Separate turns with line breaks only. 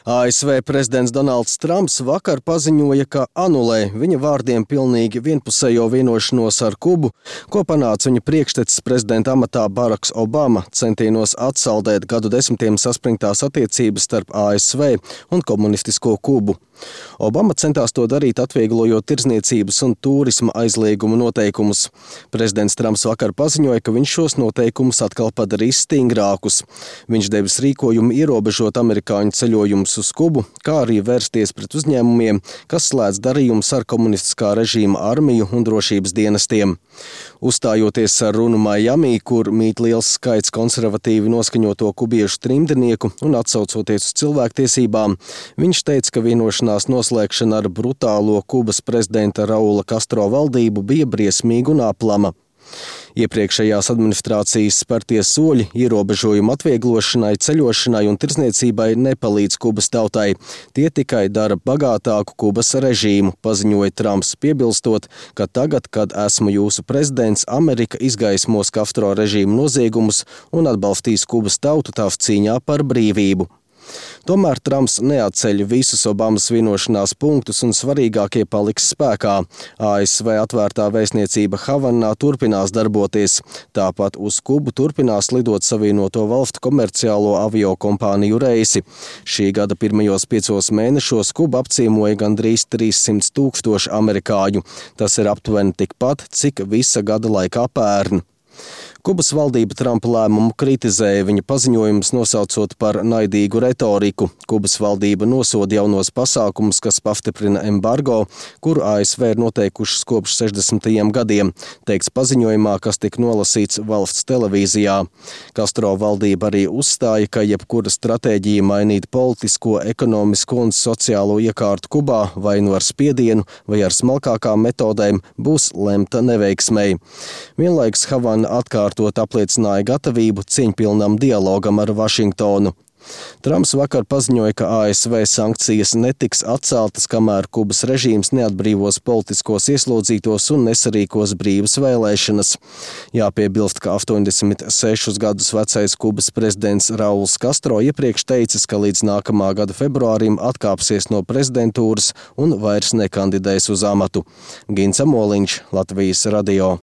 ASV prezidents Donalds Trumps vakar paziņoja, ka anulē viņa vārdiem pilnīgi vienpusējo vienošanos ar Kubu, ko panāca viņa priekštecis prezidenta amatā Baraks Obama centienos atsaldēt gadu desmitiem saspringtās attiecības starp ASV un komunistisko Kubu. Obama centās to darīt, atvieglojot tirdzniecības un tūrisma aizliegumu noteikumus. Prezidents Trumps vakar paziņoja, ka viņš šos noteikumus atkal padarīs stingrākus. Viņš devis rīkojumu ierobežot amerikāņu ceļojumus uz Kubu, kā arī vērsties pret uzņēmumiem, kas slēdz darījumus ar komunistiskā režīma armiju un drošības dienestiem. Uzstājoties ar runu Miami, kur mīt liels skaits konservatīvi noskaņoto kubiešu trimdnieku un atsaucoties uz cilvēktiesībām, viņš teica, ka vienošanās noslēgšana ar brutālo Kubas prezidenta Raula Castro valdību bija briesmīga un aplama. Iepriekšējās administrācijas spērtie soļi ierobežojumu atvieglošanai, ceļošanai un tirdzniecībai nepalīdz Kubas tautai. Tie tikai dara bagātāku Kubas režīmu, paziņoja Trumps, piebilstot, ka tagad, kad esmu jūsu prezidents, Amerika izgaismos Castro režīmu noziegumus un atbalstīs Kubas tautu tās cīņā par brīvību. Tomēr Trumps neatceļ visus Obamas vienošanās punktus un svarīgākie paliks spēkā. ASV atvērtā vēstniecība Havanā turpinās darboties. Tāpat uz Kubu turpinās lidot Savienoto Valstu komerciālo aviokompāniju reisi. Šī gada pirmajos 5 mēnešos Kuba apciemoja gandrīz 300 000 amerikāņu. Tas ir aptuveni tikpat, cik visa gada laikā pērn. Kubas valdība Trumpa lēmumu kritizēja, viņa paziņojumus nosaucot par naidīgu retoriku. Kubas valdība nosoda jaunos pasākumus, kas pastiprina embargo, kuru ASV ir noteikušas kopš 60. gadiem, teikts paziņojumā, kas tika nolasīts valsts televīzijā. Castro valdība arī uzstāja, ka jebkura stratēģija mainīt politisko, ekonomisko un sociālo iekārtu Kubā vai nu ar spiedienu vai ar smalkākām metodēm būs lemta neveiksmei. Vienlaikus Havana atkārtot apliecināja gatavību cieņpilnam dialogam ar Vašingtonu. Trumps vakar paziņoja, ka ASV sankcijas netiks atceltas, kamēr Kubas režīms neatbrīvos politiskos ieslodzītos un nesarīkos brīvas vēlēšanas. Jāpiebilst, ka 86 gadus vecais Kubas prezidents Rauls Castro iepriekš teicis, ka līdz nākamā gada februārim atkāpsies no prezidentūras un vairs nekandidēs uz amatu. Gins Amoliņš, Latvijas radio.